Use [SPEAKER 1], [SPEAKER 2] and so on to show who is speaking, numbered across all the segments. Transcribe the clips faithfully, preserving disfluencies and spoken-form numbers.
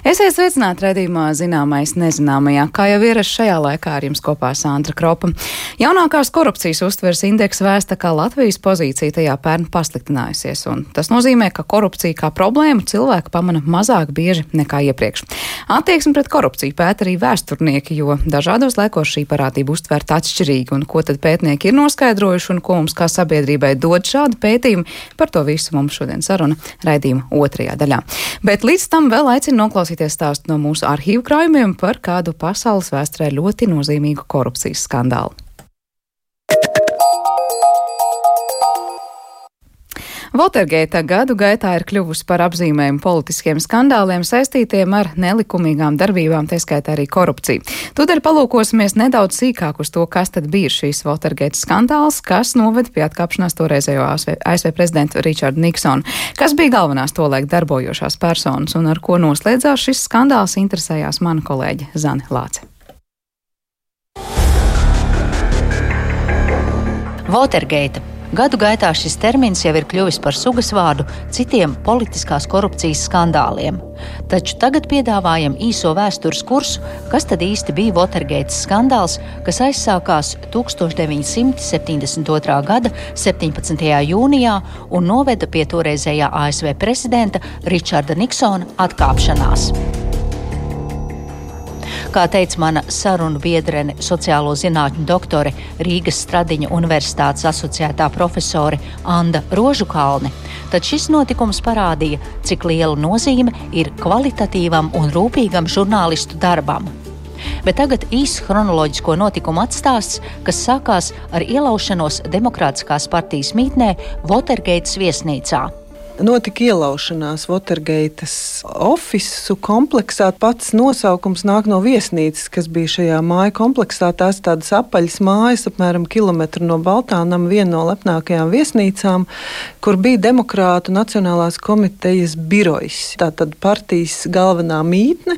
[SPEAKER 1] Esiet sveicināti raidījumā Zināmais nezināmajā. Kā jau ierasts šajā laikā ar jums kopā Sandra Kropa. Jaunākās korupcijas uztveres indeks vēsta, ka Latvijas pozīcija tajā pērn pasliktinājusies, un tas nozīmē, ka korupcija kā problēmu cilvēki pamana mazāk bieži nekā iepriekš. Attieksmi pret korupciju pēta arī vēsturnieki, jo dažādos laikos šī parādība uztverta atšķirīgi, un ko tad pētnieki ir noskaidrojuši un ko mums kā sabiedrībai dod šādi pētījumi, par to visu mums šodien saruna raidījuma otrajā daļā. Bet līdz tam vēl aicinu noklausīties stāstu no mūsu arhīvu krājumiem par kādu pasaules vēsturē ļoti nozīmīgu korupcijas skandālu. Watergate gadu gaitā ir kļuvusi par apzīmējumu politiskiem skandāliem saistītiem ar nelikumīgām darbībām, tā skaitā arī korupciju. Tūdaļ palūkosimies nedaudz sīkāk uz to, kas tad bija šīs Watergate skandāls, kas noved pie atkāpšanās toreizējo A S V prezidentu Richardu Niksonu. Kas bija galvenās tolaik darbojošās personas un ar ko noslēdzās šis skandāls, interesējās mana kolēģe Zane Lāce.
[SPEAKER 2] Watergate. Gadu gaitā šis termins jau ir kļuvis par sugasvārdu citiem politiskās korupcijas skandāliem. Taču tagad piedāvājam īso vēstures kursu, kas tad īsti bija Watergate skandāls, kas aizsākās tūkstoš deviņi simti septiņdesmit otrā gada septiņpadsmitajā jūnijā un noveda pie toreizējā A S V prezidenta Richarda Niksona atkāpšanās. Kā teica mana sarunu biedrene, sociālo zinātņu doktore, Rīgas Stradiņa Universitātes asociētā profesore Anda Rožukalne, tad šis notikums parādīja, cik liela nozīme ir kvalitatīvam un rūpīgam žurnālistu darbam. Bet tagad īsts chronoloģisko notikumu atstāsts, kas sākās ar ielaušanos Demokrātiskās partijas mītnē Watergates viesnīcā.
[SPEAKER 3] Notika ielaušanās Watergates ofisu kompleksā. Pats nosaukums nāk no viesnīcas, kas bija šajā māju kompleksā. Tās tādas apaļas mājas, apmēram kilometru no Baltānam, viena no lepnākajām viesnīcām, kur bija Demokrātu Nacionālās komitejas birojs. Tātad partijas galvenā mītne,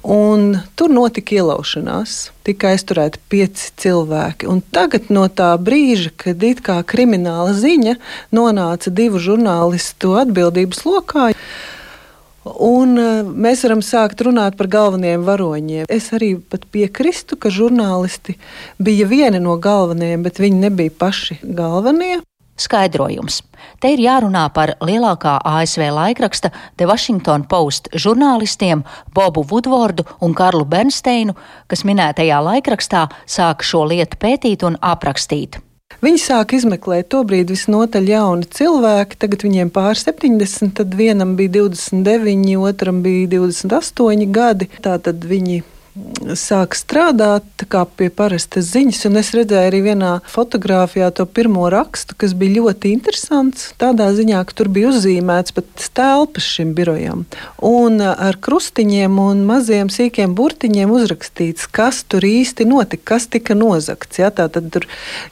[SPEAKER 3] un tur notika ielaušanās. Tika aizturēti pieci cilvēki. Un tagad no tā brīža, kad it kā krimināla ziņa nonāca divu žurnālistu atbildības lokā, un mēs varam sākt runāt par galvenajiem varoņiem. Es arī pat piekrīstu, ka žurnālisti bija vieni no galvenajiem, bet viņi nebija paši galvenie.
[SPEAKER 2] Skaidrojums. Te ir jārunā par lielākā A S V laikraksta The Washington Post žurnālistiem Bobu Woodwardu un Karlu Bernsteinu, kas minētajā laikrakstā sāka šo lietu pētīt un aprakstīt.
[SPEAKER 3] Viņi sāka izmeklēt tobrīd visnotaļ jauni cilvēki, tagad viņiem pār septiņdesmit, tad vienam bija divdesmit deviņi, otram bija divdesmit astoņi gadi, tātad viņi sāk strādāt kā pie parastas ziņas, un es redzēju arī vienā fotogrāfijā to pirmo rakstu, kas bija ļoti interesants, tādā ziņā, ka tur bija uzzīmēts pat telpas šim birojam, un ar krustiņiem un maziem sīkiem burtiņiem uzrakstīts, kas tur īsti notika, kas tika nozagts. Ja? Tātad tur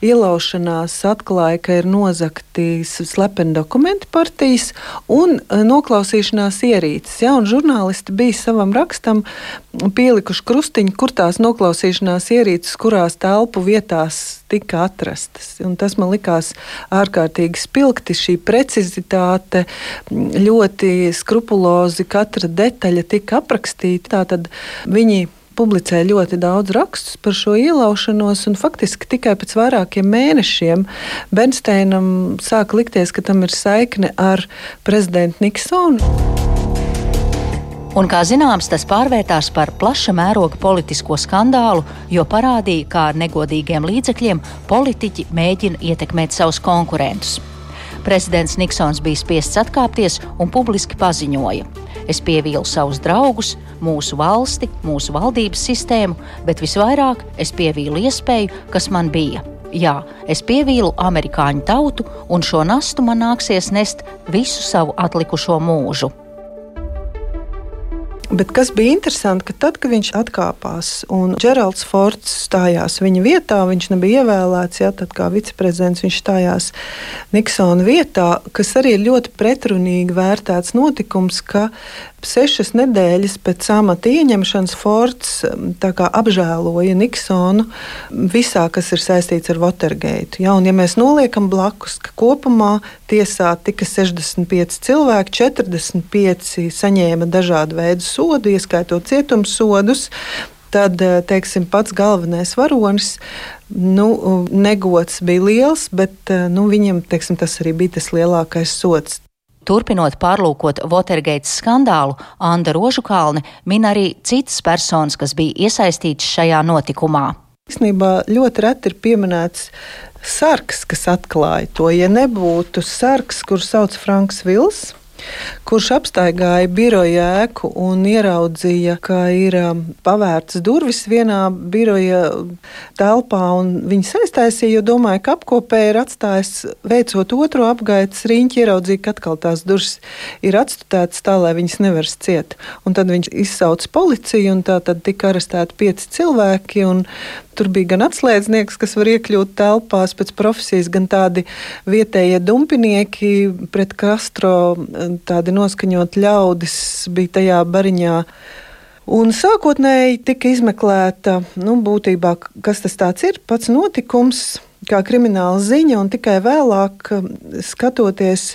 [SPEAKER 3] ielaušanās atklāja, ka ir nozagti slepeni dokumenti partijas un noklausīšanās ierīces. Ja? Un žurnālisti bija savam rakstam pielikuši krustiņu, kur tās noklausīšanās ierīces, kurās telpu vietās tika atrastas. Un tas man likās ārkārtīgi spilgti, šī precizitāte, ļoti skrupulozi katra detaļa tika aprakstīta. Tātad viņi publicēja ļoti daudz rakstus par šo ielaušanos, un faktiski tikai pēc vairākiem mēnešiem Bernsteinam sāka likties, ka tam ir saikne ar prezidentu Niksonu.
[SPEAKER 2] Un, kā zināms, tas pārvērtās par plaša mēroga politisko skandālu, jo parādīja, kā ar negodīgiem līdzekļiem politiķi mēģina ietekmēt savus konkurentus. Prezidents Niksons bija spiests atkāpties un publiski paziņoja: es pievīlu savus draugus, mūsu valsti, mūsu valdības sistēmu, bet visvairāk es pievīlu iespēju, kas man bija. Jā, es pievīlu amerikāņu tautu, un šo nastu man nāksies nest visu savu atlikušo mūžu.
[SPEAKER 3] Bet kas bija interesanti, ka tad, kad viņš atkāpās un Džeralds Fords stājās viņa vietā, viņš nebija ievēlēts, jā, tad kā viceprezidents viņš stājās Niksona vietā, kas arī ir ļoti pretrunīgi vērtēts notikums, ka sešas nedēļas pēc amata ieņemšanas Fords tā kā apžēloja Niksonu visā, kas ir saistīts ar Watergate. Ja, un ja mēs noliekam blakus, ka kopumā tiesā tika sešdesmit pieci cilvēki, četrdesmit pieci saņēma dažādu veidu sodu, ieskaitot cietumsodus, tad, teiksim, pats galvenais varonis, nu, negods bija liels, bet nu, viņam, teiksim, tas arī bija tas lielākais sods.
[SPEAKER 2] Turpinot pārlūkot Watergate skandālu, Anda Rožukalne min arī citas personas, kas bija iesaistītas šajā notikumā.
[SPEAKER 3] Īstenībā ļoti reti ir pieminēts sargs, kas atklāja to. Ja nebūtu sargs, kuru sauc Franks Vils, kurš apstaigāja biroja ēku un ieraudzīja, ka ir pavērtas durvis vienā biroja telpā, un viņas aiztaisīja, jo domāja, ka apkopēji ir atstājis, veicot otro apgaitas riņķi, ieraudzīja, ka atkal tās durvis ir atstutētas tā, lai viņas nevar ciet. Un tad viņš izsauca policiju, un tā tad tika arestēti pieci cilvēki, un tur bija gan atslēdznieks, kas var iekļūt telpās pēc profesijas, gan tādi vietējie dumpinieki pret Castro, tādi noskaņot ļaudis bija tajā bariņā. Un sākotnēji tika izmeklēta, nu, būtībā, kas tas tāds ir, pats notikums, kā krimināla ziņa, un tikai vēlāk, skatoties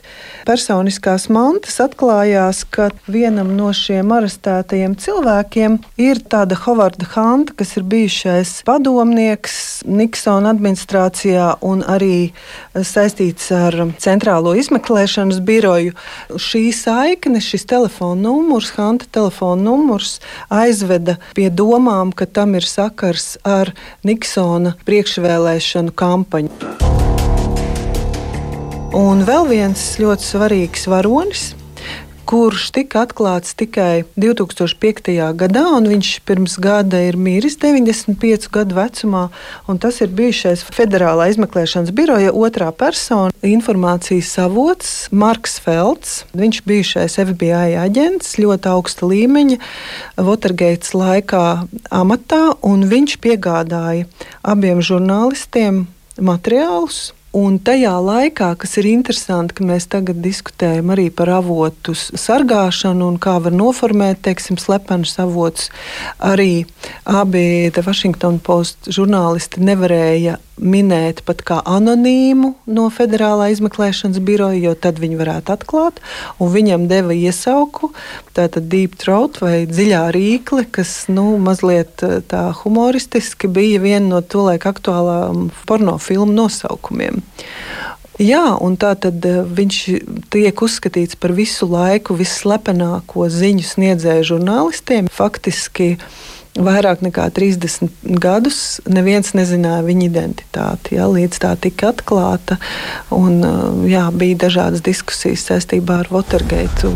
[SPEAKER 3] personiskās mantas, atklājās, ka vienam no šiem arestētajiem cilvēkiem ir tāda Hovarda Hanta, kas ir bijušais padomnieks Niksona administrācijā un arī saistīts ar centrālo izmeklēšanas biroju. Šī saikne, šis telefona numurs, Hanta telefona numurs, aizveda pie domām, ka tam ir sakars ar Niksona priekšvēlēšanu kampaņu. Un vēl viens ļoti svarīgs varonis, kurš tika atklāts tikai divi tūkstoši piektajā gadā, un viņš pirms gada ir miris deviņdesmit piecu gadu vecumā, un tas ir bijušais Federālā izmeklēšanas biroja otrā persona, informācijas avots Marks Felds. Viņš bijušais F B I aģents, ļoti augsta līmeņa, Watergate laikā amatā, un viņš piegādāja abiem žurnālistiem materiālus. Un tajā laikā, kas ir interesanti, ka mēs tagad diskutējam arī par avotu sargāšanu un kā var noformēt, teiksim, slepenus avotus, arī abi The Washington Post žurnālisti nevarēja minēt pat kā anonīmu no Federālā izmeklēšanas biroja, jo tad viņi varētu atklāt, un viņam deva iesauku, tātad deep throat vai dziļā rīkle, kas, nu, mazliet tā humoristiski bija viena no tolaik aktuālām pornofilmu nosaukumiem. Jā, un tā tad viņš tiek uzskatīts par visu laiku visslepenāko ziņu sniedzēju žurnālistiem. Faktiski vairāk nekā trīsdesmit gadus neviens nezināja viņa identitāti, jā, līdz tā tika atklāta, un jā, bija dažādas diskusijas saistībā ar Watergate.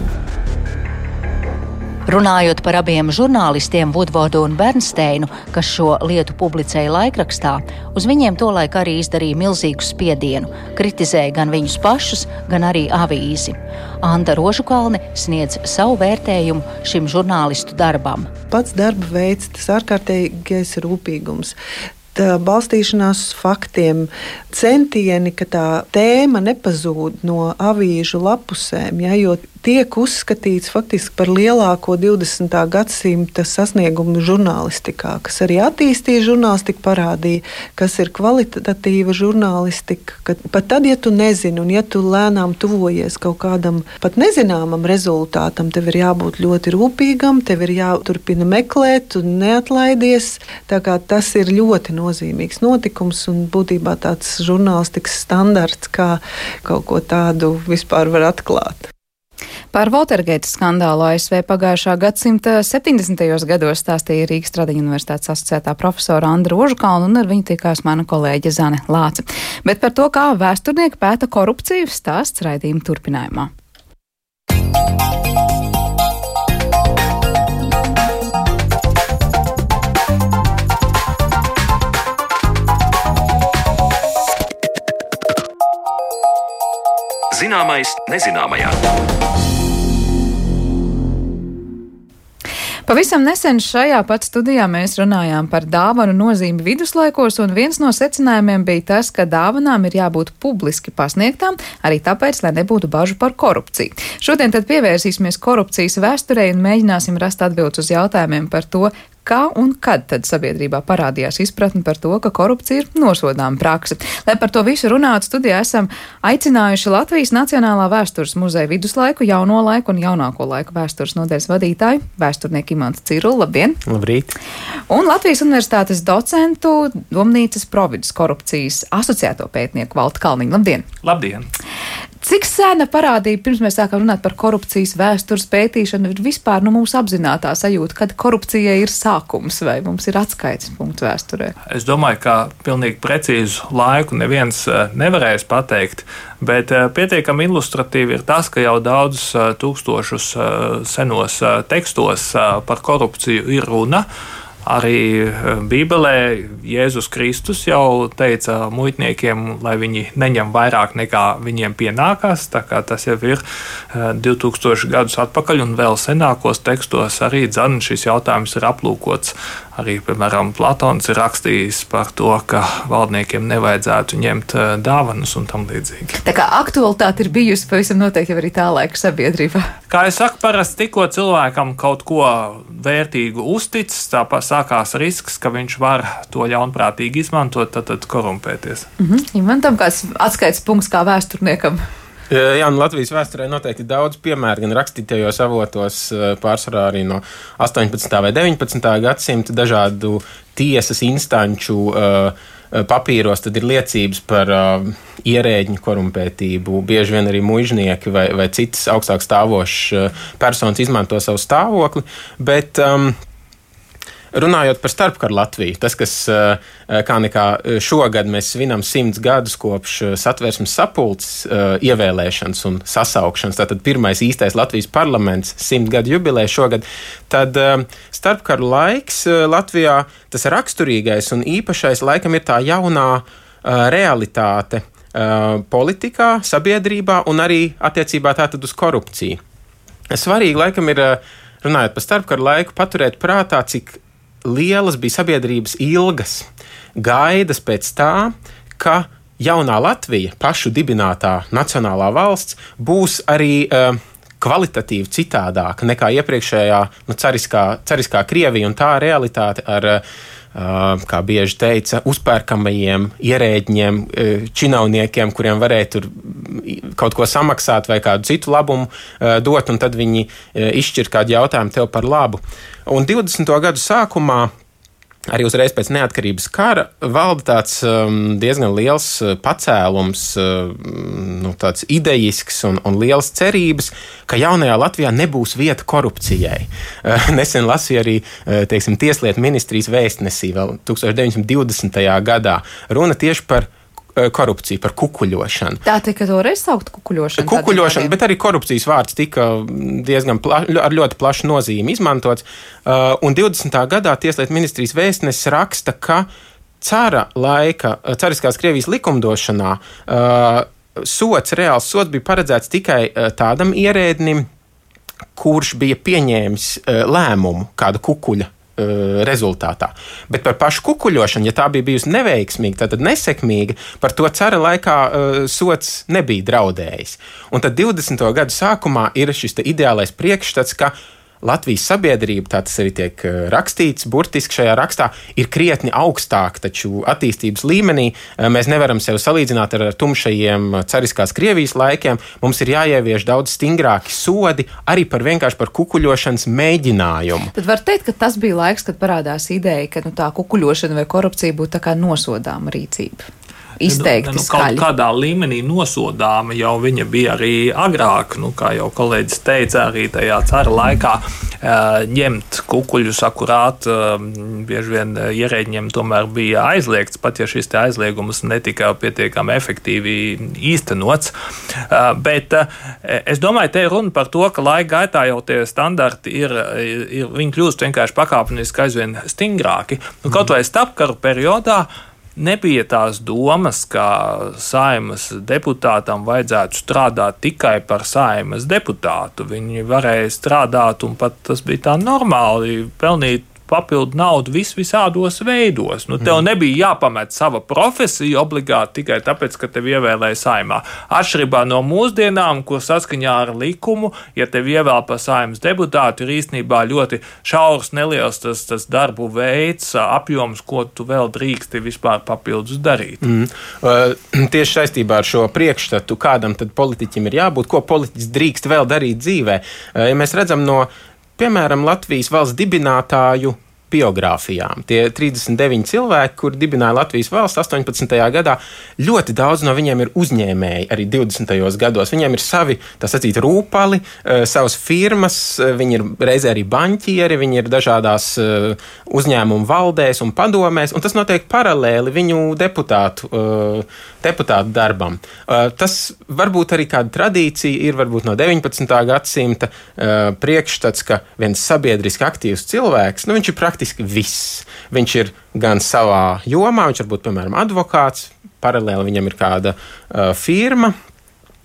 [SPEAKER 2] Runājot par abiem žurnālistiem Woodwardu un Bernsteinu, kas šo lietu publicēja laikrakstā, uz viņiem tolaik arī izdarīja milzīgu spiedienu, kritizēja gan viņus pašus, gan arī avīzi. Anda Rožukalne sniedz savu vērtējumu šim žurnālistu darbam.
[SPEAKER 3] Pats darba veids, tas ārkārtīgais rūpīgums, tā balstīšanās uz faktiem, centieni, ka tā tēma nepazūd no avīžu lapusēm, ja, jo tiek uzskatīts faktiski par lielāko divdesmitā gadsimta sasniegumu žurnālistikā, kas arī attīstīja žurnālistiku, parādīja, kas ir kvalitatīva žurnālistika. Kad, pat tad, ja tu nezini un ja tu lēnām tuvojies kaut kādam pat nezināmam rezultātam, tev ir jābūt ļoti rūpīgam, tev ir jāturpina meklēt un neatlaidies. Tā kā tas ir ļoti nozīmīgs notikums un būtībā tāds žurnālistikas standarts, kā kaut ko tādu vispār var atklāt.
[SPEAKER 1] Par Watergate skandālu A S V pagājušā gadsimta septiņdesmitajos gados stāstīja Rīgas Tradiņu universitātes asociētā profesora Anda Rožukalne, un ar viņu tikās mana kolēģe Zane Lāce. Bet par to, kā vēsturnieki pēta korupciju, stāsts raidījuma turpinājumā.
[SPEAKER 4] Zināmais nezināmajā.
[SPEAKER 1] Pavisam nesen šajā pat studijā mēs runājām par dāvanu nozīmi viduslaikos, un viens no secinājumiem bija tas, ka dāvanām ir jābūt publiski pasniegtām, arī tāpēc, lai nebūtu bažu par korupciju. Šodien tad pievērsīsimies korupcijas vēsturei un mēģināsim rast atbildes uz jautājumiem par to, kā un kad tad sabiedrībā parādījās izpratne par to, ka korupcija ir nosodāma prakse. Lai par to visu runātu, studijā esam aicinājuši Latvijas Nacionālā vēstures muzeja viduslaiku, jauno laiku un jaunāko laiku vēstures nodaļas vadītāju, vēsturnieku Imantu Cirulu. Labdien!
[SPEAKER 4] Labrīt!
[SPEAKER 1] Un Latvijas Universitātes docentu, Domnīcas Provides korupcijas asociēto pētnieku Valtu Kalniņu. Labdien!
[SPEAKER 5] Labdien!
[SPEAKER 1] Cik sena parādība, pirms mēs sākam runāt par korupcijas vēstures pētīšanu, ir vispār nu, mūsu apzinātā sajūta, kad korupcijai ir sākums vai mums ir atskaites punkts vēsturē?
[SPEAKER 5] Es domāju, ka pilnīgi precīzu laiku neviens nevarēs pateikt, bet pietiekami ilustratīvi ir tas, ka jau daudzus tūkstošus senos tekstos par korupciju ir runa. Arī Bībelē Jēzus Kristus jau teica muitniekiem, lai viņi neņem vairāk nekā viņiem pienākās. Tā kā tas jau ir divtūkstoši gadus atpakaļ, un vēl senākos tekstos arī dzan šis jautājums ir aplūkots. Arī, piemēram, Platons ir rakstījis par to, ka valdniekiem nevajadzētu ņemt dāvanas un tam līdzīgi.
[SPEAKER 1] Tā kā aktualitāte ir bijusi pavisam noteikti arī tā laika sabiedrībā.
[SPEAKER 5] Kā es saku, parasti tikko cilvēkam kaut ko vērtīgu uzticis, tāpēc sākās risks, ka viņš var to ļaunprātīgi izmantot, tad, tad korumpēties.
[SPEAKER 1] Mhm. Ja man tam kāds atskaites punkts kā vēsturniekam.
[SPEAKER 4] Jā, nu Latvijas vēsturē noteikti daudz piemēru, gan rakstītajos avotos, pārsvarā arī no astoņpadsmitā vai deviņpadsmitā gadsimta dažādu tiesas instanču uh, papīros, tad ir liecības par uh, ierēģņu korumpētību. Bieži vien arī muižnieki vai, vai citas augstāk stāvošas uh, personas izmanto savu stāvokli, bet um, runājot par starpkaru Latviju, tas, kas kā nekā šogad mēs svinam simts gadus kopš Satversmes sapulces ievēlēšanas un sasaukšanas, tātad pirmais īstais Latvijas parlaments, simt gadu jubileja šogad, tad starpkaru laiks Latvijā, tas raksturīgais un īpašais laikam ir tā jaunā realitāte politikā, sabiedrībā un arī attiecībā tātad uz korupciju. Svarīgi laikam ir, runājot par starpkaru laiku, paturēt prātā, cik lielas bija sabiedrības ilgas gaidas pēc tā, ka jaunā Latvija, pašu dibinātā nacionālā valsts, būs arī uh, kvalitatīvi citādāka nekā iepriekšējā nu, cariskā, cariskā Krievija un tā realitāte ar, uh, kā bieži teica, uzpērkamajiem ierēģņiem, uh, činovniekiem, kuriem varēja tur kaut ko samaksāt vai kādu citu labumu uh, dot, un tad viņi uh, izšķir kādu jautājumu tev par labu. Un divdesmito gadu sākumā, arī uzreiz pēc neatkarības kara, valda tāds um, diezgan liels pacēlums, um, nu, tāds idejisks un, un liels cerības, ka jaunajā Latvijā nebūs vieta korupcijai. Uh, nesen lasīju arī, uh, teiksim, Tieslietu ministrijas vēstnesī vēl deviņdesmit divdesmitajā gadā. Runa tieši par korupciju, par kukuļošanu.
[SPEAKER 1] Tā tika toreiz saukt kukuļošanu?
[SPEAKER 4] Kukuļošana, bet arī korupcijas vārds tika diezgan pla, ar ļoti plašu nozīmi izmantots. Uh, un divdesmitā gadā Tieslietu ministrijas vēstnesis raksta, ka cara laika, cariskās Krievijas likumdošanā uh, sots, reāls sots bija paredzēts tikai uh, tādam ierēdnim, kurš bija pieņēmis uh, lēmumu kādu kukuļa rezultātā. Bet par pašu kukuļošanu, ja tā bija bijusi neveiksmīga, tad nesekmīga, par to cara laikā uh, sots nebija draudējis. Un tad divdesmito gadu sākumā ir šis te ideālais priekšstats, ka Latvijas sabiedrība, tā tas arī tiek rakstīts, burtiski šajā rakstā, ir krietni augstāka, taču attīstības līmenī mēs nevaram sevi salīdzināt ar tumšajiem cariskās Krievijas laikiem. Mums ir jāievieš daudz stingrāki sodi arī par vienkārši par kukuļošanas mēģinājumu.
[SPEAKER 1] Tad var teikt, ka tas bija laiks, kad parādās ideja, ka nu, tā kukuļošana vai korupcija būtu tā kā nosodāma rīcība. Izteikti
[SPEAKER 5] nu,
[SPEAKER 1] skaļi.
[SPEAKER 5] Kaut kādā līmenī nosodāma jau viņa bija arī agrāk, nu, kā jau kolēģis teica, arī tajā cara laikā ņemt kukuļus akurāt, bieži vien ierēģiem tomēr bija aizliegts, pat ja šis te aizliegums netika pietiekami efektīvi īstenots. Bet es domāju, te ir runa par to, ka laika gaitā jau tie standarti ir, ir viņi kļūst vienkārši pakāpeniski aizvien stingrāki. Nu, kaut vai starpkaru periodā nebija tās domas, ka Saeimas deputātam vajadzētu strādāt tikai par Saeimas deputātu. Viņi varēja strādāt, un pat tas bija tā normāli, pelnīt papildu naudu vis visādos veidos. Nu, tev nebija jāpamet sava profesija obligāti tikai tāpēc, ka tev ievēlēja saimā. Atšķirībā no mūsdienām, kur saskaņā ar likumu, ja tev ievēl par saimas deputātu, ir īstenībā ļoti šaurs, neliels tas, tas darbu veids, apjoms, ko tu vēl drīksti vispār papildus darīt.
[SPEAKER 4] Mm. Uh, tieši saistībā ar šo priekšstatu, kādam tad politiķim ir jābūt, ko politiķis drīkst vēl darīt dzīvē. Uh, ja mēs redzam no, piemēram, Latvijas valsts dibinātāju biogrāfijām. Tie trīsdesmit deviņi cilvēki, kuri dibināja Latvijas valsts astoņpadsmitajā gadā, ļoti daudz no viņiem ir uzņēmēji arī divdesmitajos gados. Viņiem ir savi, tā sacīt, rūpali, savas firmas, viņi ir reizē arī baņķieri, viņi ir dažādās uzņēmumu valdēs un padomēs, un tas notiek paralēli viņu deputātu, deputātu darbam. Tas varbūt arī kāda tradīcija ir varbūt no deviņpadsmitā gadsimta priekšstats, ka viens sabiedriski aktīvs cilvēks, nu viņš ir praktiski viss. Viņš ir gan savā jomā, viņš varbūt, piemēram, advokāts, paralēli viņam ir kāda uh, firma,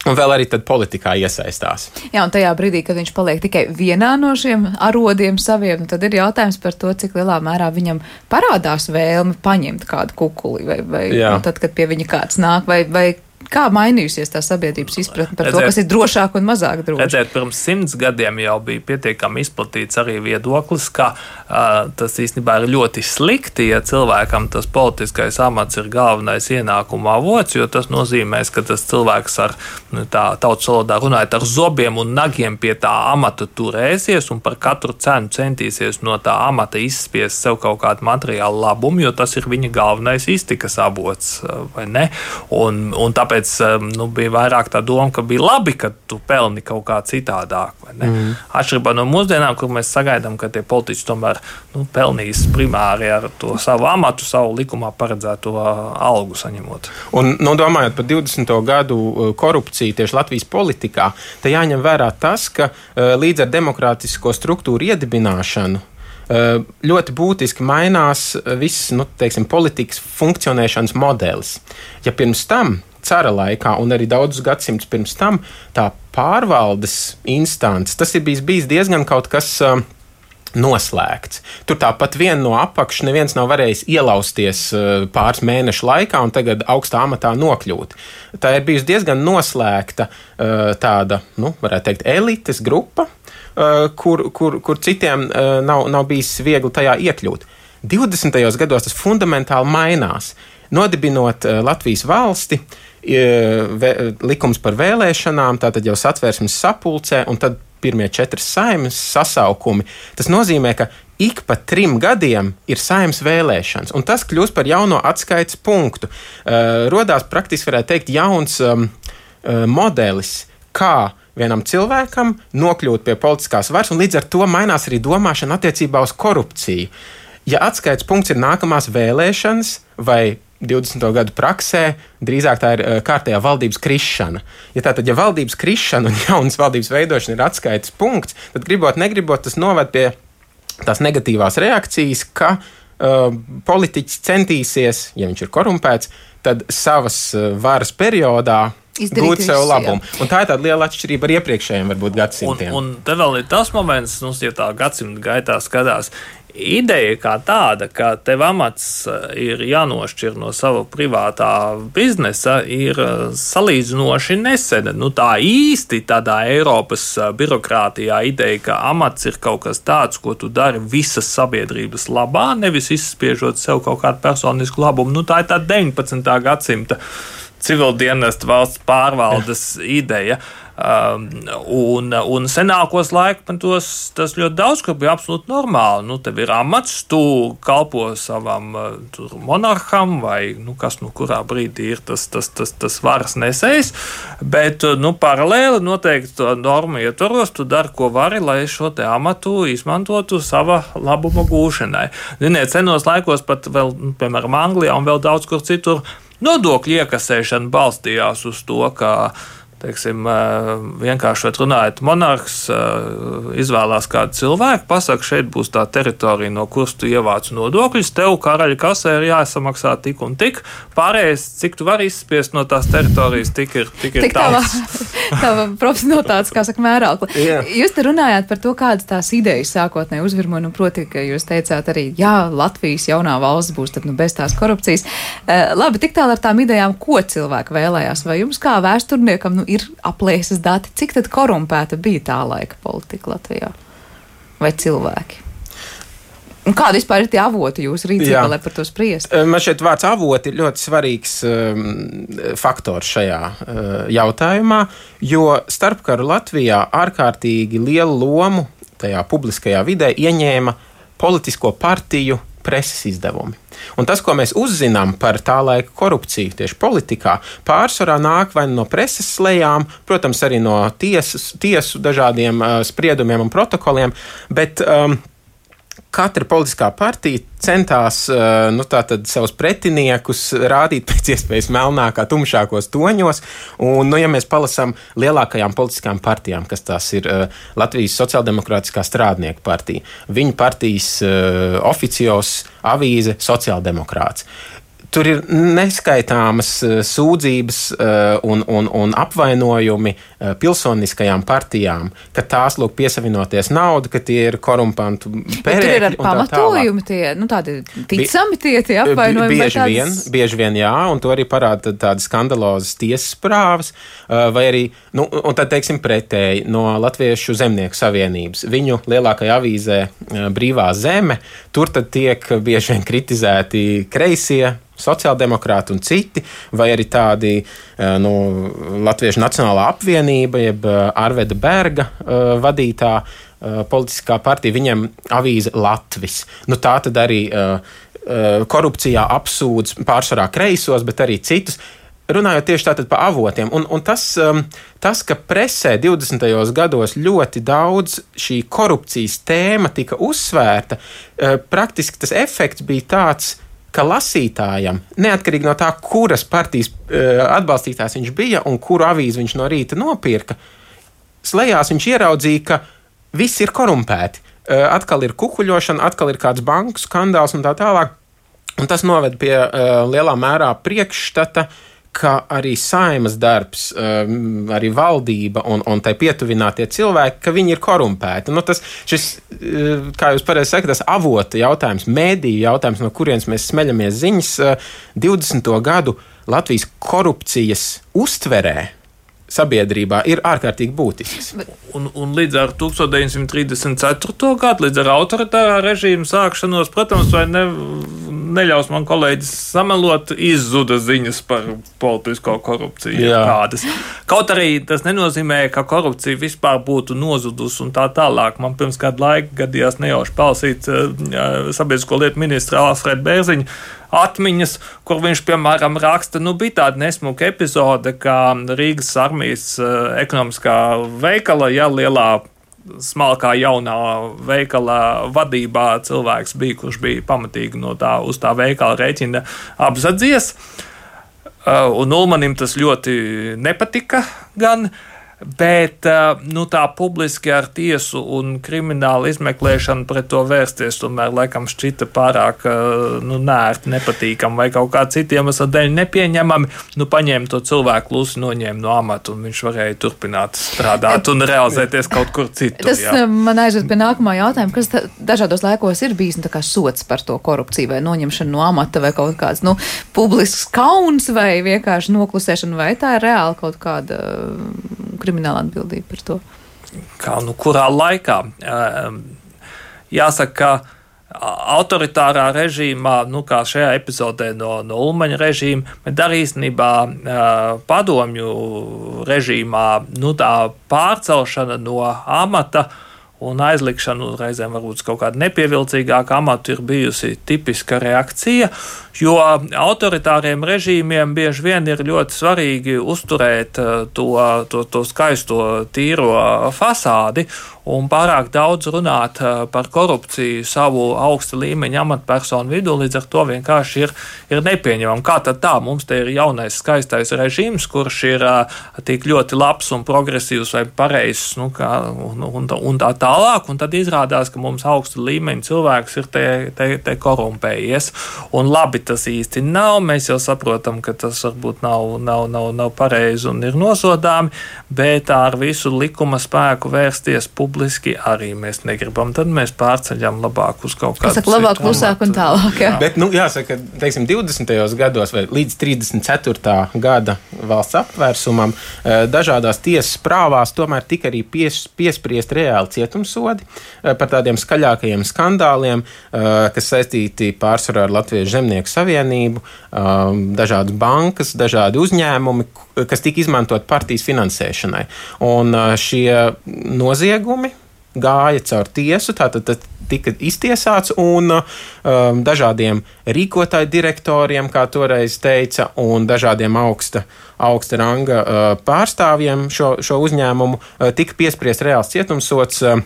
[SPEAKER 4] un vēl arī tad politikā iesaistās.
[SPEAKER 1] Jā, un tajā brīdī, kad viņš paliek tikai vienā no šiem arodiem saviem, tad ir jautājums par to, cik lielā mērā viņam parādās vēlme paņemt kādu kukuli, vai, vai nu, tad, kad pie viņa kāds nāk, vai, vai kā mainījusies tā sabiedrības izpratne par redzēt, to, kas ir drošāk un mazāk droši?
[SPEAKER 5] Redzēt, pirms simts gadiem jau bija pietiekami izplatīts arī viedoklis, ka uh, tas īstenībā ir ļoti slikti, ja cilvēkam tas politiskais amats ir galvenais ienākuma avots, jo tas nozīmēs, ka tas cilvēks ar, nu, tā tautas valodā runājot, ar zobiem un nagiem pie tā amata turēsies un par katru cenu centīsies no tā amata izspiest sev kaut kādu materiālu labumu, jo tas ir viņa galvenais iztikas avots, vai ne? Un, un tāpēc nu, bija vairāk tā doma, ka bija labi, ka tu pelni kaut kā citādāk. Mm. Atšķirībā no mūsdienām, kur mēs sagaidām, ka tie politiķi tomēr nu, pelnīs primāri ar to savu amatu, savu likumā paredzēto algu saņemot. Un,
[SPEAKER 4] nu, domājot par divdesmito gadu korupciju tieši Latvijas politikā, te jāņem vērā tas, ka līdz ar demokrātisko struktūru iedibināšanu ļoti būtiski mainās viss, nu, teiksim, politikas funkcionēšanas modelis. Ja pirms tam cara laikā un arī daudzus gadsimtus pirms tam tā pārvaldes instants, tas ir bijis, bijis diezgan kaut kas uh, noslēgts. Tur tāpat vien no apakšas neviens nav varējis ielausties uh, pāris mēnešu laikā un tagad augstā amatā nokļūt. Tā ir bijusi diezgan noslēgta uh, tāda, nu, varētu teikt, elites grupa, uh, kur, kur, kur citiem uh, nav, nav bijis viegli tajā iekļūt. divdesmitajos gados tas fundamentāli mainās. Nodibinot uh, Latvijas valsti, likums par vēlēšanām, tātad jau satversmes sapulcē, un tad pirmie četras saeimas sasaukumi. Tas nozīmē, ka ik pa trim gadiem ir saeimas vēlēšanas, un tas kļūst par jauno atskaites punktu. Uh, rodās praktiski, varētu teikt, jauns um, uh, modelis, kā vienam cilvēkam nokļūt pie politiskās varas, un līdz ar to mainās arī domāšana attiecībā uz korupciju. Ja atskaites punkts ir nākamās vēlēšanas vai divdesmito gadu praksē, drīzāk tā ir uh, kārtējā valdības krišana. Ja tātad, ja valdības krišana un jaunas valdības veidošana ir atskaites punkts, tad gribot, negribot, tas noved pie tās negatīvās reakcijas, ka uh, politiķis centīsies, ja viņš ir korumpēts, tad savas uh, varas periodā
[SPEAKER 1] izdarīt
[SPEAKER 4] gūt sev labumu. Jā. Un tā ir tāda liela atšķirība ar iepriekšējiem varbūt gadsimtiem.
[SPEAKER 5] Un, un te vēl ir tas moments, nu, ja tā gadsimta gaitā skatās, ideja kā tāda, ka tev amats ir jānošķir no sava privātā biznesa, ir salīdzinoši nesena. Nu, tā īsti tādā Eiropas birokrātijā ideja, ka amats ir kaut kas tāds, ko tu dari visas sabiedrības labā, nevis izspiežot sev kaut kādu personisku labumu. Nu, tā ir tā deviņpadsmitā gadsimta civildienesta valsts pārvaldes ideja. Um, un, un senākos laikmetos tas ļoti daudz, ka bija absolūti normāli. Nu, tev ir amats, tu kalpo savam tur, monarham vai nu, kas nu kurā brīdī ir tas, tas, tas, tas varas nesējs, bet nu, paralēli noteikti to normu ietvaros tu dari, ko vari, lai šo te amatu izmantotu sava labuma gūšanai. Ziniet, senos laikos pat vēl, piemēram, Anglijā un vēl daudz kur citur nodokļu iekasēšana balstījās uz to, ka teiksim, vienkāršot runājot, monarhs izvēlās kādu cilvēku, pasaka, šeit būs tā teritorija, no kuras tu ievāc nodokļus, tev karaļa kasē ir jāsamaksā tik un tik, pārējais, cik tu vari izspiest no tās teritorijas, tik ir, tik ir
[SPEAKER 1] tik tavs. Tava profesionalitātes, kā saka, mērākli. Yeah. Jūs te runājāt par to, kādas tās idejas sākotnēji uzvirmoja, nu, proti, ka jūs teicāt arī, jā, Latvijas jaunā valsts būs tad, nu, bez tās korupcijas. Uh, labi, tik tālu ar tām idejām, ko cilvēki vēlējās, vai jums kā vēsturniekam, nu, ir aplēses dati, cik tad korumpēta bija tā laika politika Latvijā? Vai cilvēki? Un kādi vispār ir tie avoti jūsu rīcībā, lai par to spriest?
[SPEAKER 4] Man šeit vārds avoti ir ļoti svarīgs um, faktors šajā uh, jautājumā, jo starpkaru Latvijā ārkārtīgi lielu lomu tajā publiskajā vidē ieņēma politisko partiju preses izdevumi. Un tas, ko mēs uzzinām par tā laika korupciju tieši politikā, pārsvarā nāk vai no preses slejām, protams, arī no tiesas, tiesu dažādiem uh, spriedumiem un protokoliem, bet um, katra politiskā partija centās nu, tātad, savus pretiniekus rādīt pēc iespējas melnākā, tumšākos toņos. Un, nu, ja mēs palasām lielākajām politiskām partijām, kas tās ir Latvijas Sociāldemokrātiskā strādnieku partija, viņu partijas uh, oficios avīze Sociāldemokrāts. Tur ir neskaitāmas sūdzības un, un, un apvainojumi pilsoniskajām partijām, ka tās lūk piesavinoties naudu, ka tie ir korumpantu perēkļi.
[SPEAKER 1] Tur ir ar pamatojumi tie, nu tādi ticami tie, tie apvainojumi.
[SPEAKER 4] Bieži
[SPEAKER 1] tādas...
[SPEAKER 4] vien, bieži vien jā, un to arī parāda tādas skandalozas tiesas prāvas, vai arī, nu, un tad teiksim pretēji no Latviešu zemnieku savienības. Viņu lielākajā avīzē Brīvā zeme, tur tad tiek bieži vien kritizēti kreisie, sociāldemokrāti un citi, vai arī tādi nu, Latviešu Nacionālā apvienība, jeb Arveda Berga uh, vadītā uh, politiskā partija, viņam avīze Latvis. Nu, tā tad arī uh, uh, korupcijā apsūdz pārsvarā kreisos, bet arī citus. Runājot tieši tātad par avotiem, un, un tas, um, tas, ka presē divdesmitajos gados ļoti daudz šī korupcijas tēma tika uzsvērta, uh, praktiski tas efekts bija tāds, ka lasītājam, neatkarīgi no tā, kuras partijas uh, atbalstītājs viņš bija un kuru avīzi viņš no rīta nopirka, slejās viņš ieraudzīja, ka viss ir korumpēti. Uh, atkal ir kukuļošana, atkal ir kāds banku skandāls un tā tālāk. Un tas noved pie uh, lielā mērā priekšstata, ka arī Saeimas darbs, um, arī valdība un, un tai pietuvinātie cilvēki, ka viņi ir korumpēti. Nu, tas, šis, uh, kā jūs pareizi sakat, tas avota jautājums, mēdīju jautājums, no kurienes mēs smeļamies ziņas, uh, divdesmito gadu Latvijas korupcijas uztverē sabiedrībā ir ārkārtīgi būtisks.
[SPEAKER 5] Un, un līdz ar deviņdesmit trīsdesmit ceturto gadu, līdz ar autoritārā režīma sākšanos, protams, vai ne, neļaus man kolēģis samelot, izzuda ziņas par politisko korupciju. Kādas. Kaut arī tas nenozīmē, ka korupcija vispār būtu nozudus un tā tālāk. Man pirms kādu laiku gadījās nejauši palasīt uh, sabiedrisko lietu ministra Alfreda Bērziņa atmiņas, kur viņš, piemēram, raksta, nu, bija tāda nesmuka epizode, kā Rīgas armijas uh, ekonomiskā veikala, ja lielā smalkā jaunā veikala vadībā cilvēks bija, kurš bija pamatīgi no tā, uz tā veikala rēķina apzadzies. Uh, un Ulmanim tas ļoti nepatika gan, bet nu, tā publiski ar tiesu un kriminālu izmeklēšanu pret to vērsties tomēr laikam šķita pārāk nu, nērti, nepatīkami vai kaut kā citiem iemeslu dēļ nepieņemami. Nu, paņēma to cilvēku klusi, noņēma no amata un viņš varēja turpināt strādāt un realizēties kaut kur citur.
[SPEAKER 1] Tas jā. Man aizved pie nākamā jautājuma, kas dažādos laikos ir bijis nu, tā kā sots par to korupciju vai noņemšanu no amata vai kaut kāds nu, publisks kauns vai vienkārši noklusēšana, vai tā ir reāli kaut kāda krimināla atbildība par to?
[SPEAKER 5] Kā, nu, kurā laikā? Jāsaka, ka autoritārā režīmā, nu, kā šajā epizodē no, no Ulmaņa režīma, bet arī īstenībā padomju režīmā, nu, tā pārcelšana no amata un aizlikšanu reizēm varbūt kaut kādu nepievilcīgāku amatu ir bijusi tipiska reakcija, jo autoritāriem režīmiem bieži vien ir ļoti svarīgi uzturēt to, to, to skaisto tīro fasādi un pārāk daudz runāt par korupciju savu augsta līmeņa amatpersonu vidū, līdz ar to vienkārši ir, ir nepieņemam. Kā tad tā? Mums te ir jaunais skaistais režīms, kurš ir tik ļoti labs un progresīvs vai pareizs, nu, kā, un, un, un tā tālāk, un tad izrādās, ka mums augsta līmeņa cilvēks ir te, te, te korumpējies. Un labi tas īsti nav, mēs jau saprotam, ka tas varbūt nav, nav, nav, nav pareizi un ir nosodāmi, bet ar visu likuma spēku vērsties publiski arī mēs negribam. Tad mēs pārceļam labāk uz kaut kādu
[SPEAKER 1] citu. Labāk, klusāk un tālāk. Jā.
[SPEAKER 4] Bet, nu, jāsaka, teiksim, divdesmitajos gados vai līdz trīsdesmit ceturtā gada valsts apvērsumam dažādās tiesas prāvās tomēr tika arī pies, piespriest reāli cietumsodi par tādiem skaļākajiem skandāliem, kas saistīti pārsvarā ar Latviešu zemnieku savienību, dažādas bankas, dažādi uzņēmumi, kas tika izmantot partijas finansēšanai. Un šie noziegumi gāja caur tiesu, tātad tika iztiesāts un um, dažādiem rīkotāju direktoriem, kā toreiz teica, un dažādiem augsta, augsta ranga uh, pārstāvjiem šo, šo uzņēmumu uh, tika piespriest reāls cietumsods uh,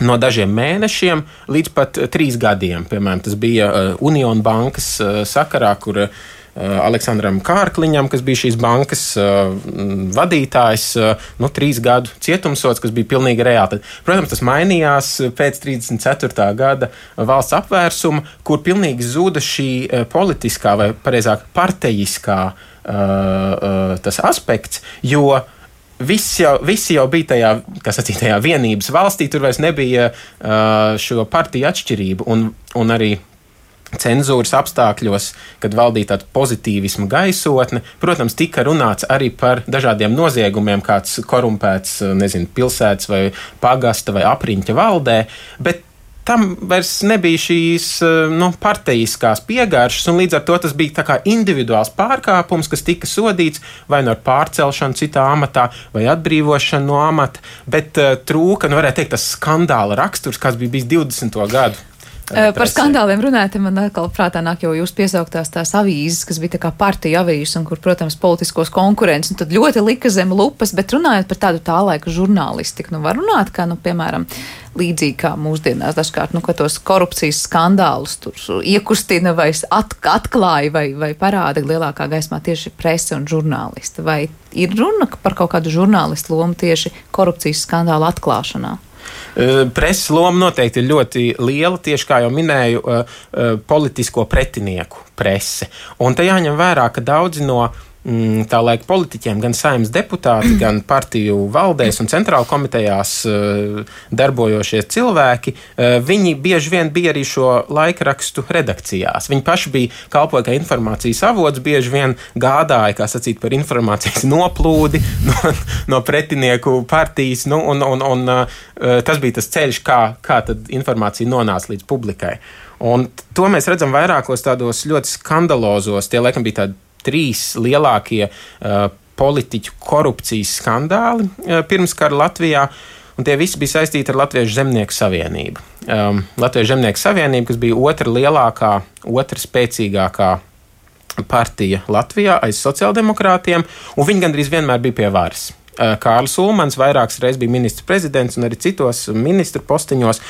[SPEAKER 4] no dažiem mēnešiem līdz pat trīs gadiem. Piemēram, tas bija uh, Union bankas uh, sakarā, kur uh, Aleksandram Kārkliņam, kas bija šīs bankas uh, vadītājs, uh, nu, trīs gadu cietumsods, kas bija pilnīgi reāli. Tad, protams, tas mainījās pēc trīsdesmit ceturtā gada valsts apvērsuma, kur pilnīgi zuda šī uh, politiskā vai pareizāk partejiskā uh, uh, tas aspekts, jo Visi jau, visi jau bija tajā, kā sacīt, tajā vienības valstī, tur vairs nebija uh, šo partiju atšķirību, un, un arī cenzūras apstākļos, kad valdīja tāda pozitīvisma gaisotne, protams, tika runāts arī par dažādiem noziegumiem, kāds korumpēts, nezinu, pilsētas vai pagasta vai apriņķa valdē, bet tam vairs nebija šīs nu, partejiskās piegāršas, un līdz ar to tas bija tā kā individuāls pārkāpums, kas tika sodīts vai no pārcelšanu citā amatā, vai atbrīvošanu no amata, bet uh, trūka, nu varētu teikt, tas skandāla raksturs, kas bija bijis divdesmito gadu.
[SPEAKER 1] Par skandāliem runājot, man atkal prātā nāk jau jūs piesauktās tās avīzes, kas bija tā kā partija avīzes un kur, protams, politiskos konkurences, un tad ļoti lika zem lupas, bet runājot par tādu tā laika žurnālistiku, nu var runāt, kā, nu, piemēram, līdzīgi kā mūsdienās dažkārt, nu, ka tos korupcijas skandālus tur iekustina vai at, atklāja vai, vai parāda lielākā gaismā tieši prese un žurnālisti. Vai ir runa par kaut kādu žurnālistu lomu tieši korupcijas skandālu atklāšanā?
[SPEAKER 4] Preses loma noteikti ir ļoti liela, tieši kā jau minēju, politisko pretinieku prese. Un te jāņem vērā, ka daudzi no tā laika politiķiem, gan saimnes deputāti, gan partiju valdēs un centrāla komitejās darbojošie cilvēki, viņi bieži vien bija arī šo laikrakstu redakcijās. Viņi paši bija kalpoja kā informācijas avots, bieži vien gādāja, kā sacīt, par informācijas noplūdi no, no pretinieku partijas, nu, un, un, un tas bija tas ceļš, kā, kā tad informācija nonāca līdz publikai. Un to mēs redzam vairākos tādos ļoti skandalozos, tie laikam bija tādi trīs lielākie uh, politiķu korupcijas skandāli uh, pirmskara Latvijā, un tie visi bija saistīti ar Latviešu zemnieku savienību. Um, Latviešu zemnieku savienība, kas bija otra lielākā, otra spēcīgākā partija Latvijā aiz sociāldemokrātiem, un viņi gandrīz vienmēr bija pie varas. Uh, Kārlis Ulmans vairākas reizes bija ministrs prezidents un arī citos ministru posteņos.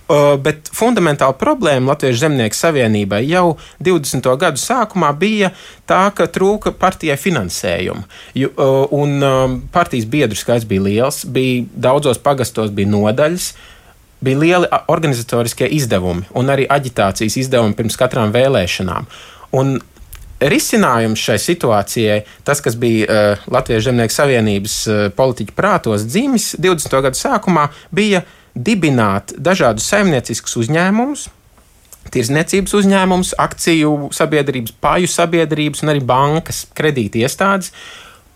[SPEAKER 4] Uh, bet fundamentāla problēma Latviešu zemnieku savienībai jau divdesmito gadu sākumā bija tā, ka trūka partijai finansējumu. Ju, uh, un uh, partijas biedru skaits bija liels, bija daudzos pagastos bija nodaļas, bija lieli organizatoriskie izdevumi un arī aģitācijas izdevumi pirms katrām vēlēšanām. Un risinājums šai situācijai, tas, kas bija uh, Latviešu zemnieku savienības uh, politiķu prātos dzimis divdesmito gadu sākumā, bija dibināt dažādus saimnieciskus uzņēmumus, tirdzniecības uzņēmumus, akciju sabiedrības, paju sabiedrības un arī bankas, kredīti iestādes,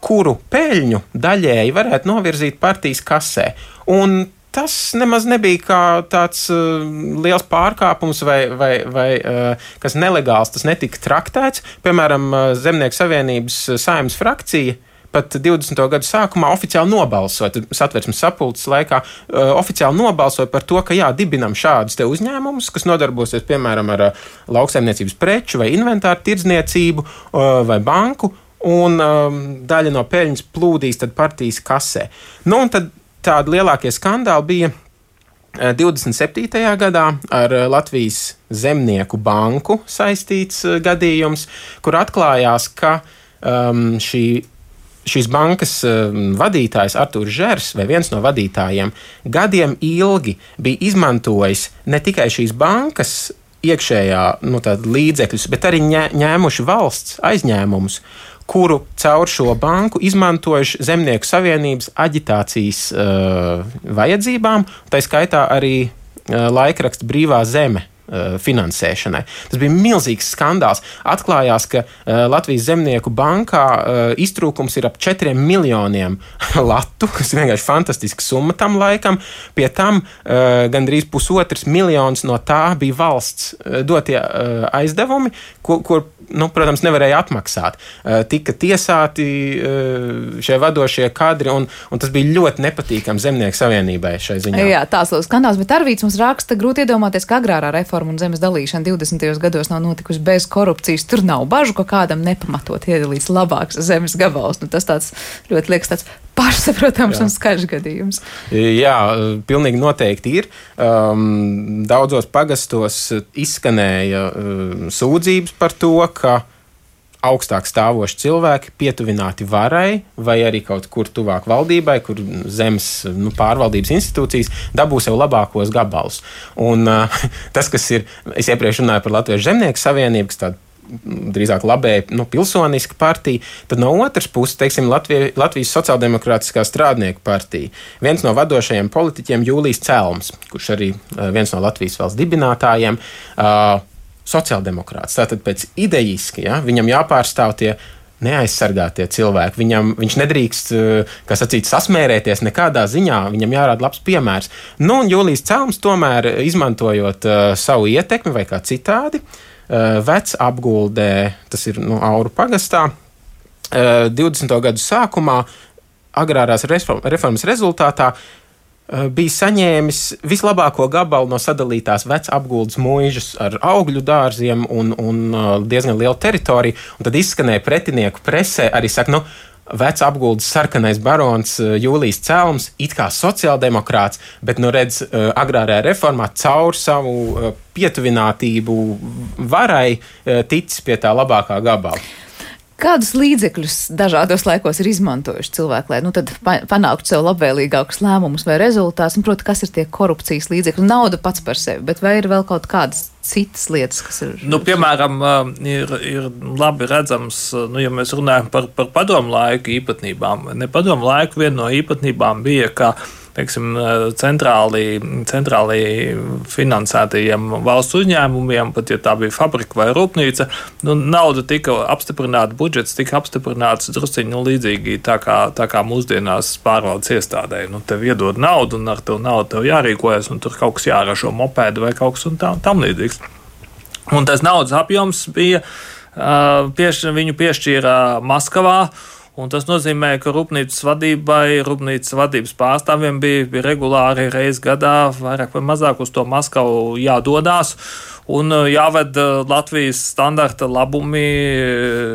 [SPEAKER 4] kuru peļņu daļēji varētu novirzīt partijas kasē. Un tas nemaz nebija kā tāds uh, liels pārkāpums vai, vai, vai uh, kas nelegāls, tas netika traktēts. Piemēram, uh, Zemnieku savienības saimnes frakcija pat divdesmito gadu sākumā oficiāli nobalsoja, Satversmes sapulces laikā, uh, oficiāli nobalsoja par to, ka jā, dibinam šādus te uzņēmumus, kas nodarbosies, piemēram, ar uh, lauksaimniecības preču vai inventāru tirdzniecību uh, vai banku, un um, daļa no peļņas plūdīs tad partijas kasē. Nu, un tad tādi lielākie skandāli bija uh, divdesmit septītajā gadā ar uh, Latvijas Zemnieku banku saistīts uh, gadījums, kur atklājās, ka um, šī Šīs bankas vadītājs Artūrs Žers, vai viens no vadītājiem, gadiem ilgi bija izmantojis ne tikai šīs bankas iekšējā nu, līdzekļus, bet arī ņēmuši valsts aizņēmumus, kuru caur šo banku izmantojuši Zemnieku savienības aģitācijas uh, vajadzībām, tā skaitā arī uh, laikraksts Brīvā zeme finansēšanai. Tas bija milzīgs skandāls. Atklājās, ka uh, Latvijas Zemnieku bankā uh, iztrūkums ir ap četriem miljoniem latu, kas ir vienkārši fantastiska summa tam laikam. Pie tam uh, gandrīz pusotrs miljons no tā bija valsts uh, dotie uh, aizdevumi, kur, kur nu, protams, nevarēja atmaksāt. Uh, tika tiesāti uh, šie vadošie kadri, un, un tas bija ļoti nepatīkami Zemnieku savienībai šai ziņā.
[SPEAKER 1] Jā, tās lūk skandāls, bet Arvīts mums raksta, grūti iedomāties, ka agrārā reforma un zemes dalīšana divdesmitajos gados nav notikusi bez korupcijas. Tur nav bažu, ka kādam nepamatot iedalīts labāks zemes gabals. Nu, tas tāds ļoti liekas tāds pašsaprotams un skaļš gadījums.
[SPEAKER 4] Jā, pilnīgi noteikti ir. Um, daudzos pagastos izskanēja um, sūdzības par to, ka augstāk stāvoši cilvēki pietuvināti varai vai arī kaut kur tuvāk valdībai, kur zemes nu, pārvaldības institūcijas dabū sev labākos gabalus. Un uh, tas, kas ir, es iepriekš runāju par Latviešu Zemnieku savienību, kas tāda drīzāk labēja nu, pilsoniska partija, tad no otras puses, teiksim, Latvie, Latvijas sociāldemokrātiskā strādnieku partija. Viens no vadošajiem politiķiem Jūlijs Celms, kurš arī uh, viens no Latvijas valsts dibinātājiem, uh, sociāldemokrāts. Tātad pēc idejiski, ja, viņam jāpārstāv tie neaizsargātie cilvēki. Viņam, viņš nedrīkst, kā sacīt, sasmērēties nekādā ziņā, viņam jārāda labs piemērs. Nu, un Jūlijs Celms tomēr, izmantojot uh, savu ietekmi vai kā citādi, uh, vec apguldē, tas ir nu, Auru pagastā, uh, divdesmito gadu sākumā, agrārās reformas rezultātā, bija saņēmis vislabāko gabalu no sadalītās vec apguldes muižas ar augļu dārziem un, un diezgan lielu teritoriju. Un tad izskanēja pretinieku presē, arī saka, nu, vec apguldes sarkanais barons Jūlijs Celms, it kā sociāldemokrāts, bet, nu, redz, agrārajā reformā caur savu pietuvinātību varai ticis pie tā labākā gabala.
[SPEAKER 1] Kādus līdzekļus dažādos laikos ir izmantojuši cilvēki, lai nu, tad panāktu sev labvēlīgākus lēmumus vai rezultātus? Un, proti, kas ir tie korupcijas līdzekļi? Nauda pats par sevi, bet vai ir vēl kaut kādas citas lietas, kas ir?
[SPEAKER 5] Nu, piemēram, ir, ir labi redzams, nu, ja mēs runājam par, par padomu laiku īpatnībām. Ne padomu laiku viena no īpatnībām bija, ka teiksim, centrāli, centrāli finansētajiem valsts uzņēmumiem, pat ja tā bija fabrika vai rūpnīca, nu, nauda tika apstiprināta, budžets tika apstiprināts drusciņi nu, līdzīgi tā kā, tā kā mūsdienās pārvaldes iestādē. Nu, tev iedod naudu un ar tev naudu tev jārīkojas un tur kaut kas jāražo mopēdu vai kaut kas un tam, tam līdzīgs. Un tas naudas apjoms bija, pieš, viņu piešķīra Maskavā. Un tas nozīmē, ka rūpnīcas vadībai, rūpnīcas vadības pārstāvjiem bija, bija regulāri reiz gadā vairāk vai mazāk uz to Maskavu jādodās un jāved Latvijas standarta labumi,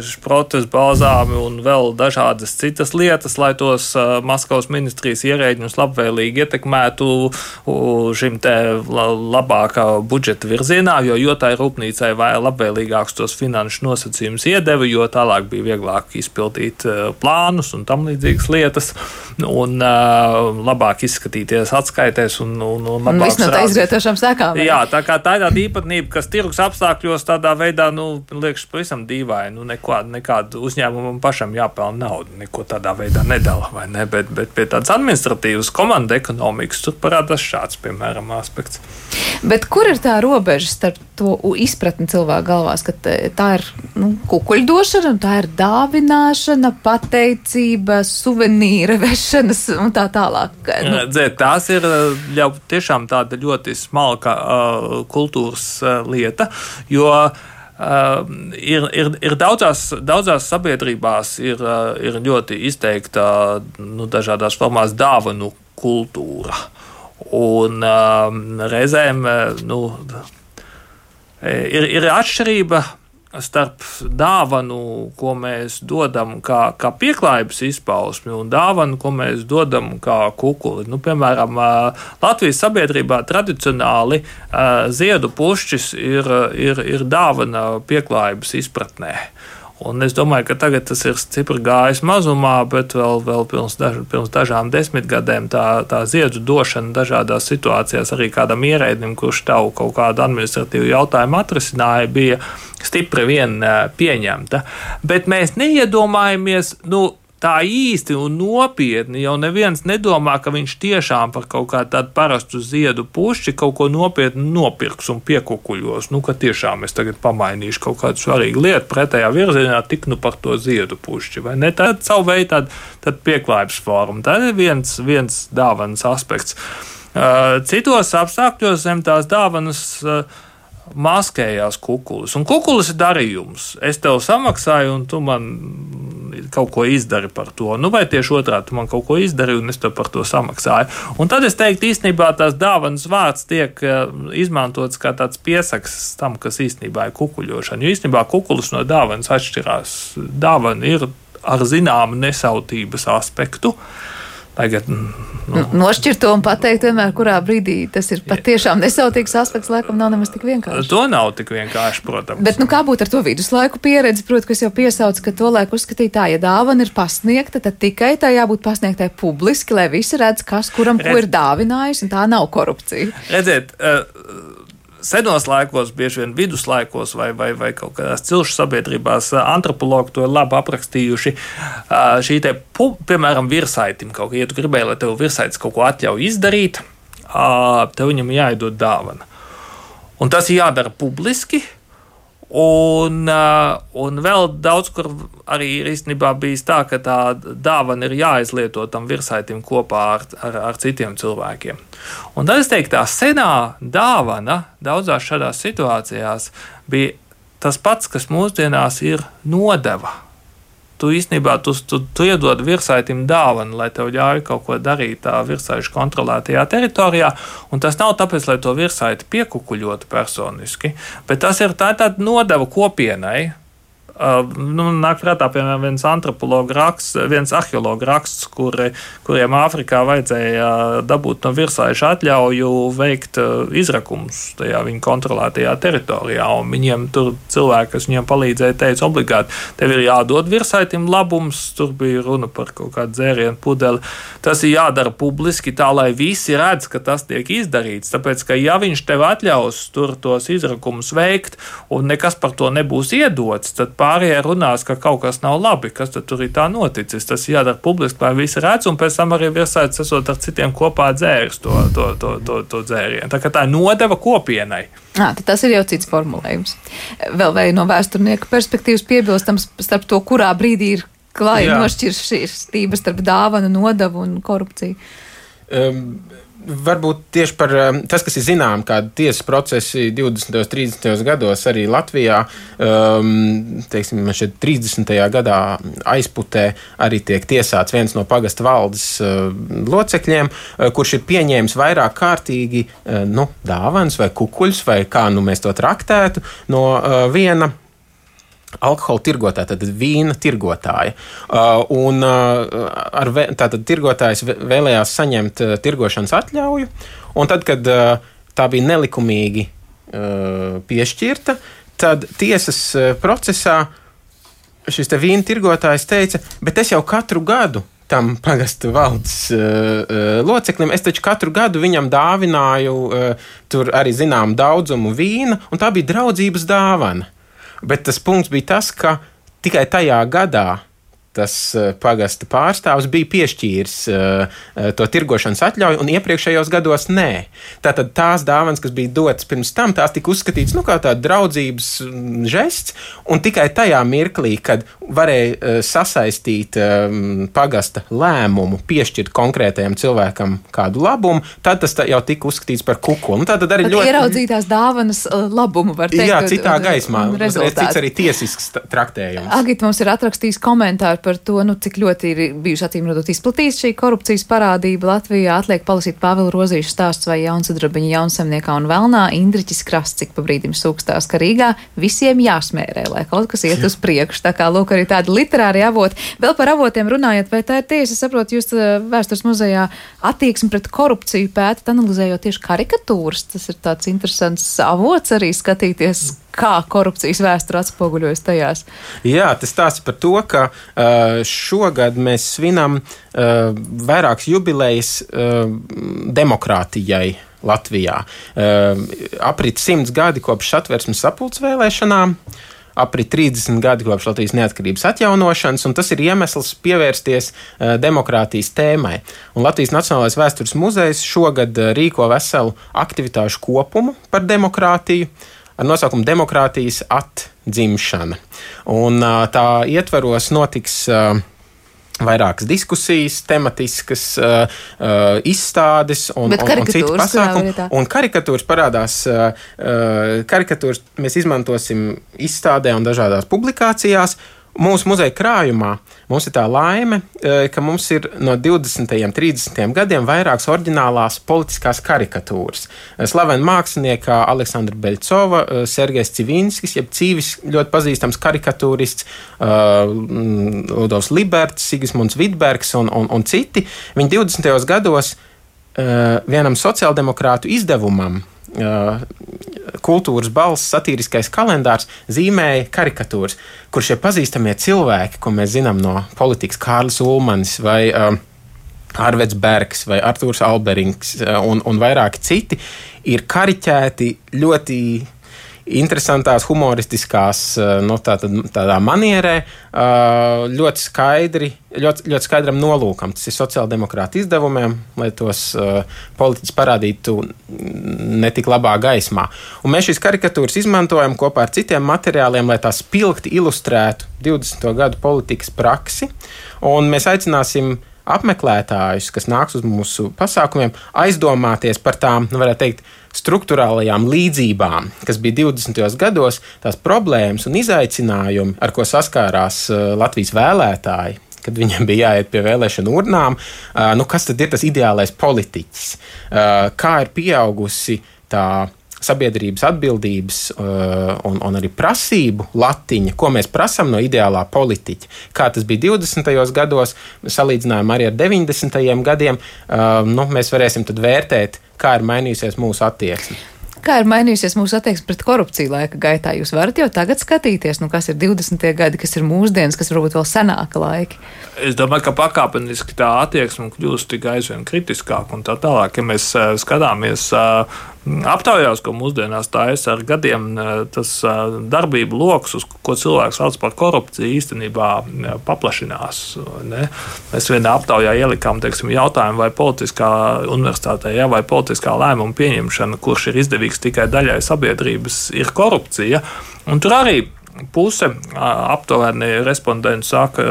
[SPEAKER 5] šprotes, balzāmi un vēl dažādas citas lietas, lai tos Maskavas ministrijas ierēģņus labvēlīgi ietekmētu šim te labākā budžeta virzienā, jo, jo tai rūpnīcai vai labvēlīgāks tos finanšu nosacījumus iedeva, jo tālāk bija vieglāk izpildīt plānus un tam līdzīgas lietas un uh, labāk izskatīties atskaitēs un, un, un labāk
[SPEAKER 1] srādīt. Tā izvietošām sekām.
[SPEAKER 5] Jā, tā kā tā ir tāda īpatnība, kas tirgus apstākļos tādā veidā, nu, liekas pavisam dīvaini, nu, nekādu, nekādu uzņēmumu pašam jāpelna naudu, neko tādā veidā nedala, vai ne, bet, bet pie tādas administratīvas komanda ekonomikas tur parādās šāds, piemēram, aspekts.
[SPEAKER 1] Bet kur ir tā robeža starp to izpratni cilvēku galvās, ka tā ir nu, kukuļdošana, tā ir dāvināšana, pateicība, suvenīra vešanas un tā tālāk? Nu.
[SPEAKER 5] Dzēt, tās ir jau tiešām tāda ļoti smalka uh, kultūras uh, lieta, jo uh, Uh, ir, ir, ir daudzās, daudzās sabiedrībās ir, uh, ir ļoti izteikta nu, dažādās formās dāvanu kultūra. Un uh, reizēm uh, nu, ir, ir atšķirība starp dāvanu, ko mēs dodam kā, kā pieklājības izpausmi, un dāvanu, ko mēs dodam kā kukuli. Nu, piemēram, Latvijas sabiedrībā tradicionāli ziedu pušķis ir, ir, ir dāvana pieklājības izpratnē. Un es domāju, ka tagad tas ir stipri gājis mazumā, bet vēl, vēl pirms, daž, pirms dažām desmitgadēm tā, tā ziedu došana dažādās situācijās arī kādam ierēdnim, kurš tavu kaut kādu administratīvu jautājumu atrisināja, bija stipri vien pieņemta. Bet mēs neiedomājamies, nu, tā īsti un nopietni jau neviens nedomā, ka viņš tiešām par kaut kādu tādu parastu ziedu pušķi kaut ko nopietni nopirks un piekukuļos. Nu, ka tiešām es tagad pamainīšu kaut kādu svarīgu lietu pretējā virzienā, tik nu par to ziedu pušķi. Vai ne? Tā ir savu veidu tāda, tāda pieklājības forma. Tā ir viens, viens dāvanas aspekts. Citos apstākļos zem tās dāvanas maskējās kukulis. Un kukulis ir darījums. Es tev samaksāju, un tu man kaut ko izdari par to. Nu, vai tieši otrādi, tu man kaut ko izdari, un es tev par to samaksāju. Un tad es teiktu, īstenībā tās dāvanas vārds tiek izmantots kā tāds piesaks tam, kas īstenībā ir kukuļošana. Jo īstenībā kukulis no dāvanas atšķirās. Dāvana ir ar zināmu nesautības aspektu. Tagad, nu,
[SPEAKER 1] nošķirt to un pateikt vienmēr, kurā brīdī tas ir patiešām nesautīgs aspekts, laikam nav nemaz tik vienkārši.
[SPEAKER 5] To nav tik vienkārši, protams.
[SPEAKER 1] Bet nu, kā būtu ar to viduslaiku pieredzi, proti, kas jau piesauc, ka to laiku uzskatīja tā, ja dāvana ir pasniegta, tad tikai tā jābūt pasniegtai publiski, lai visi redz, kas kuram Redz... ko ir dāvinājis, un tā nav korupcija.
[SPEAKER 5] Redziet, uh, senos laikos, bieži vien viduslaikos vai, vai, vai kaut kādās cilšu sabiedrībās antropologi to ir labi aprakstījuši. Šī te, piemēram, virsaitim kaut kā, ja tu gribēji, lai tev virsaitis kaut ko atļauj izdarīt, tev viņam jāiedod dāvana. Un tas ir jādara publiski, un, un vēl daudz, kur arī ir īstenībā bijis tā, ka tā dāvana ir jāizlieto tam virsaitim kopā ar, ar, ar citiem cilvēkiem. Un tad es teiktu, tā senā dāvana daudzās šādās situācijās bija tas pats, kas mūsdienās ir nodeva. Tu īstenībā tu, tu, tu iedod virsaitim dāvanu, lai tev ļauj kaut ko darīt tā virsaišu kontrolētajā teritorijā, un tas nav tāpēc, lai to virsaiti piekukuļotu personiski, bet tas ir tā tāda nodeva kopienai. Uh, nu, nāk prātā, piemēram, viens antropologa raksts, viens arheologa raksts, kuri, kuriem Āfrikā vajadzēja dabūt no virsaiša atļauju veikt uh, izrakumus tajā viņa kontrolētajā teritorijā, un viņiem tur cilvēki, kas viņiem palīdzēja, teica obligāti, tev ir jādod virsaitim labums, tur bija runa par kaut kādu dzērienu pudeli, tas ir jādara publiski tā, lai visi redz, ka tas tiek izdarīts, tāpēc, ka ja viņš tev atļaus tur tos izrakumus veikt, un nekas par to nebūs iedots, tad pārējie runās, ka kaut kas nav labi, kas tad tur ir tā noticis. Tas jādara publiski, lai visi redz, un pēc tam arī virsaitis esot ar citiem kopā dzēris to, to, to, to, to dzērienu. Tā kā tā nodeva kopienai.
[SPEAKER 1] À, tas ir jau cits formulējums. Vēl vai no vēsturnieka perspektīvas piebilstams starp to, kurā brīdī ir klāja nošķiršķība starp dāvanu, nodevu un korupciju.
[SPEAKER 4] Um. Varbūt tieši par tas, kas ir zinām, kāda tiesas procesi divdesmitajos, trīsdesmitajos gados arī Latvijā, um, teiksim, šeit trīsdesmitajā gadā aizputē arī tiek tiesāts viens no pagasta valdes uh, locekļiem, uh, kurš ir pieņēmis vairāk kārtīgi uh, nu, dāvanas vai kukuļus, vai kā nu mēs to traktētu, no uh, viena alkohola tirgotāja, tātad vīna tirgotāja. Uh, un uh, ar vē, tātad tirgotājs vēlējās saņemt uh, tirgošanas atļauju, un tad, kad uh, tā bija nelikumīgi uh, piešķirta, tad tiesas uh, procesā šis te vīna tirgotājs teica, bet es jau katru gadu tam pagasta valdes uh, loceklim, es taču katru gadu viņam dāvināju uh, tur arī zinām daudzumu vīna, un tā bija draudzības dāvana. Bet tas punkts bija tas, ka tikai tajā gadā tas pagasta pārstāvs bija piešķīris uh, to tirgošanas atļauju, un iepriekšējos gados nē. Tātad tās dāvanas, kas bija dotas pirms tam, tās tika uzskatītas nu, kā tāda draudzības žests, un tikai tajā mirklī, kad varēja uh, sasaistīt um, pagasta lēmumu, piešķirt konkrētajam cilvēkam kādu labumu, tad tas jau tika uzskatīts par kukuli. Nu, tātad arī ļoti
[SPEAKER 1] ieraudzītās dāvanas labumu var teikt.
[SPEAKER 4] Jā, citā un, gaismā. Un cits arī tiesisks traktējums.
[SPEAKER 1] Agita mums ir atrakstījis komentāru par to, nu, cik ļoti ir bijuši acīm redzot izplatīts šī korupcijas parādība Latvijā. Atliek palasīt Pāvila Rozīša stāsts vai Jaunsudrabiņa Jaunsaimniekā un Velnā. Indriķis Krasts, cik pa brīdim sūkstās, ka Rīgā visiem jāsmērē, lai kaut kas iet uz priekšu. Tā kā, lūk, arī tādi literāri avoti. Vēl par avotiem runājot, vai tā ir tiesa, saprotu, jūs Vēstures muzejā attieksmi pret korupciju pētat, analizējot tieši karikatūras. Tas ir tāds interesants avots arī skatīties, kā korupcijas vēsture atspoguļojas tajās.
[SPEAKER 4] Jā, tas stāsta par to, ka uh, šogad mēs svinam uh, vairākas jubilejas uh, demokrātijai Latvijā. Uh, aprit simts gadi kopš Satversmes sapulces vēlēšanām, aprit trīsdesmit gadi kopš Latvijas neatkarības atjaunošanas, un tas ir iemesls pievērsties uh, demokrātijas tēmai. Un Latvijas Nacionālais vēstures muzejs šogad uh, rīko veselu aktivitāšu kopumu par demokrātiju, ar nosaukumu Demokrātijas atdzimšana. Un tā ietvaros notiks uh, vairākas diskusijas, tematiskas uh, uh, izstādes un, un, un citu pasākumu. Un karikatūras parādās, uh, karikatūras mēs izmantosim izstādē un dažādās publikācijās. Mūsu muzeja krājumā mums ir tā laime, ka mums ir no divdesmitajiem, trīsdesmitajiem gadiem vairākas oriģinālās politiskās karikatūras. Slavena mākslinieka Aleksandra Beļcova, Sergejs Civinskis, jeb Cīvis, ļoti pazīstams karikatūrists, Ludovs Liberts, Sigismunds Vidbergs un, un, un citi. Viņi divdesmitajos gados vienam sociāldemokrātu izdevumam, Kultūras balss satīriskais kalendārs, zīmēja karikatūras, kur šie pazīstamie cilvēki, ko mēs zinām no politikas, Kārlis Ulmanis vai uh, Arveds Bergs vai Artūrs Alberings uh, un, un vairāki citi, ir kariķēti ļoti interesantās, humoristiskās, no tātad, tādā manierē, ļoti skaidri, ļoti, ļoti skaidram nolūkam. Tas ir sociāldemokrāta izdevumiem, lai tos politiķus parādītu netik labā gaismā. Un mēs šīs karikatūras izmantojam kopā ar citiem materiāliem, lai tās spilgti ilustrētu divdesmito gadu politikas praksi. Un mēs aicināsim apmeklētājus, kas nāks uz mūsu pasākumiem, aizdomāties par tām, nu, varētu teikt, struktūrālajām līdzībām, kas bija divdesmitajos gados, tās problēmas un izaicinājumi, ar ko saskārās Latvijas vēlētāji, kad viņiem bija jāiet pie vēlēšanu urnām. Nu, kas tad ir tas ideālais politiķis? Kā ir pieaugusi tā sabiedrības atbildības uh, un, un arī prasību latiņa, ko mēs prasām no ideālā politiķa. Kā tas bija divdesmitajos gados, salīdzinājumā arī ar deviņdesmitajiem gadiem, uh, nu, mēs varēsim tad vērtēt, kā ir mainījusies mūsu attieksme.
[SPEAKER 1] Kā ir mainījusies mūsu attieksme pret korupciju laika gaitā? Jūs varat jau tagad skatīties, nu, kas ir divdesmitie gadi, kas ir mūsdienas, kas varbūt vēl senāka laiki.
[SPEAKER 5] Es domāju, ka pakāpeniski tā attieksme kļūst tikai aizvien kritiskāk un tā tālāk. Ja mēs uh, skatāmies uh, aptaujās, ko mūsdienās taisa ar gadiem, tas darbību lokus, uz ko cilvēks sauc par korupciju, īstenībā paplašinās. Ne? Mēs vienā aptaujā ielikām, teiksim, jautājumu, vai politiskā universitātē, ja, vai politiskā lēmuma pieņemšana, kurš ir izdevīgs tikai daļai sabiedrības, ir korupcija. Un tur arī puse aptuveni respondentu saka,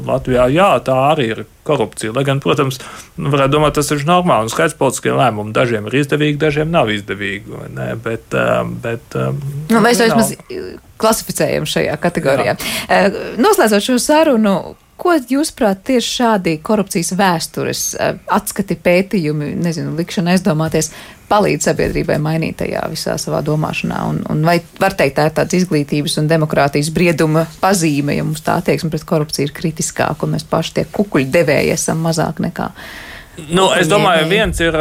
[SPEAKER 5] Latvijā, jā, tā arī ir korupcija. Lai gan, protams, varētu domāt, tas ir normāli un skaidrs politiskie lēmumi. Dažiem ir izdevīgi, dažiem nav izdevīgi. Ne? Bet, bet,
[SPEAKER 1] nu, mēs vismaz klasificējam šajā kategorijā. Jā. Noslēdzot šo sarunu, ko jūsuprāt tieši šādi korupcijas vēstures atskati pētījumi, nezinu, likšana aizdomāties, palīdz sabiedrībai mainīt tajā visā savā domāšanā? Un, un vai var teikt, tā ir tāds izglītības un demokrātijas brieduma pazīme, ja mums tā attieksme pret korupciju ir kritiskāka, un mēs paši tie kukuļu devēji esam mazāk nekā...
[SPEAKER 5] Nu, es domāju, viens ir,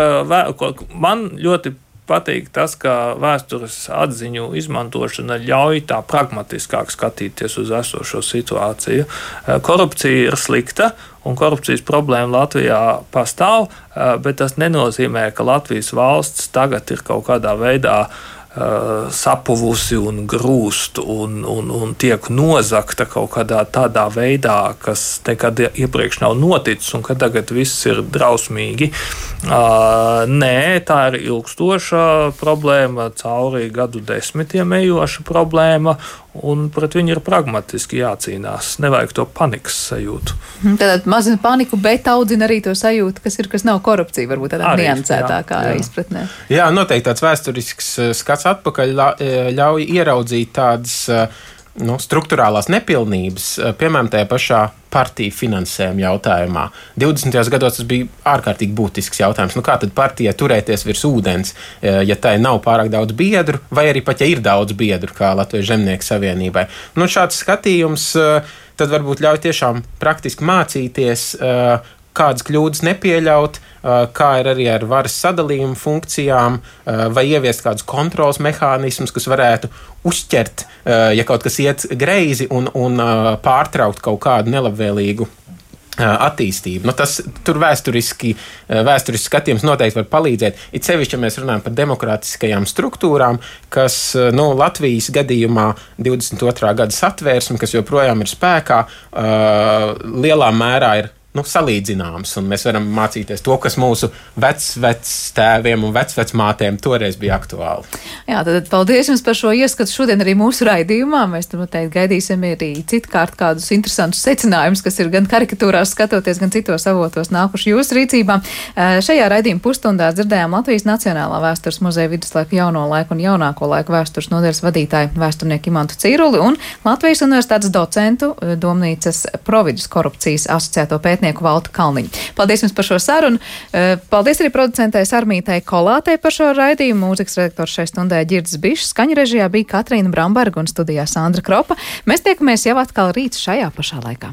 [SPEAKER 5] man ļoti patīk tas, ka vēstures atziņu izmantošana ļauj tā pragmatiskāk skatīties uz esošo situāciju. Korupcija ir slikta, un korupcijas problēma Latvijā pastāv, bet tas nenozīmē, ka Latvijas valsts tagad ir kaut kādā veidā sapuvusi un grūst un, un, un tiek nozagta kaut kādā tādā veidā, kas nekad iepriekš nav noticis un ka tagad viss ir drausmīgi. Nē, tā ir ilgstoša problēma, cauri gadu desmitiem ejoša problēma, un pret viņu ir pragmatiski jācīnās. Nevajag to panikas sajūtu.
[SPEAKER 1] Tātad mazina paniku, bet audzina arī to sajūtu, kas ir, kas nav korupcija, varbūt tādā niansētākā izpratnē.
[SPEAKER 4] Jā, noteikti tāds vēsturisks skats atpakaļ ļauj ieraudzīt tādas nu, struktūrālās nepilnības, piemēram, tajā pašā partiju finansējuma jautājumā. divdesmitajos gados tas bija ārkārtīgi būtisks jautājums. Nu, kā tad partijai turēties virs ūdens, ja tai nav pārāk daudz biedru, vai arī pat, ja ir daudz biedru, kā Latvijas Zemnieku savienībai. Nu, šāds skatījums tad varbūt ļauj tiešām praktiski mācīties, kādas kļūdas nepieļaut, kā ir arī ar varas sadalījumu funkcijām, vai ieviest kādus kontrols mehānismus, kas varētu uzķert, ja kaut kas iet greizi un, un pārtraukt kaut kādu nelabvēlīgu attīstību. Nu, tas tur vēsturiski, vēsturiski skatījums noteikti var palīdzēt. It sevišķi, ja mēs runājam par demokrātiskajām struktūrām, kas nu, Latvijas gadījumā divdesmit otrā gada satvērsme, kas joprojām ir spēkā, lielā mērā ir nu, salīdzināms, un mēs varam mācīties to, kas mūsu vecvectēviem un vecvecmātēm toreiz bija aktuāli.
[SPEAKER 1] Jā, tad paldies jums par šo ieskatu šodien arī mūsu raidījumā. Mēs tur noteikti gaidīsim arī citkārt kādus interesantus secinājumus, kas ir gan karikatūrās skatoties, gan citos avotos nākuši jūsu rīcībā. Šajā raidījuma pusstundā dzirdējām Latvijas Nacionālā vēstures muzeja viduslaiku, jauno laiku un jaunāko laiku vēstures nodaļas vadītāju vēsturnieku Imantu Cīruli un Latvijas Universitātes docentu Domnīcas Providus korupcijas asociēto pētnieku Valtu Kalniņu. Paldies jums par šo sarunu. Paldies arī producentei Sarmītai Kolātei par šo raidījumu. Mūzikas redaktors šai stundē Ģirds Bišs, skaņu režijā bija Katrīna Bramberga un studijā Sandra Kropa. Mēs tiekamies jau atkal rīt šajā pašā laikā.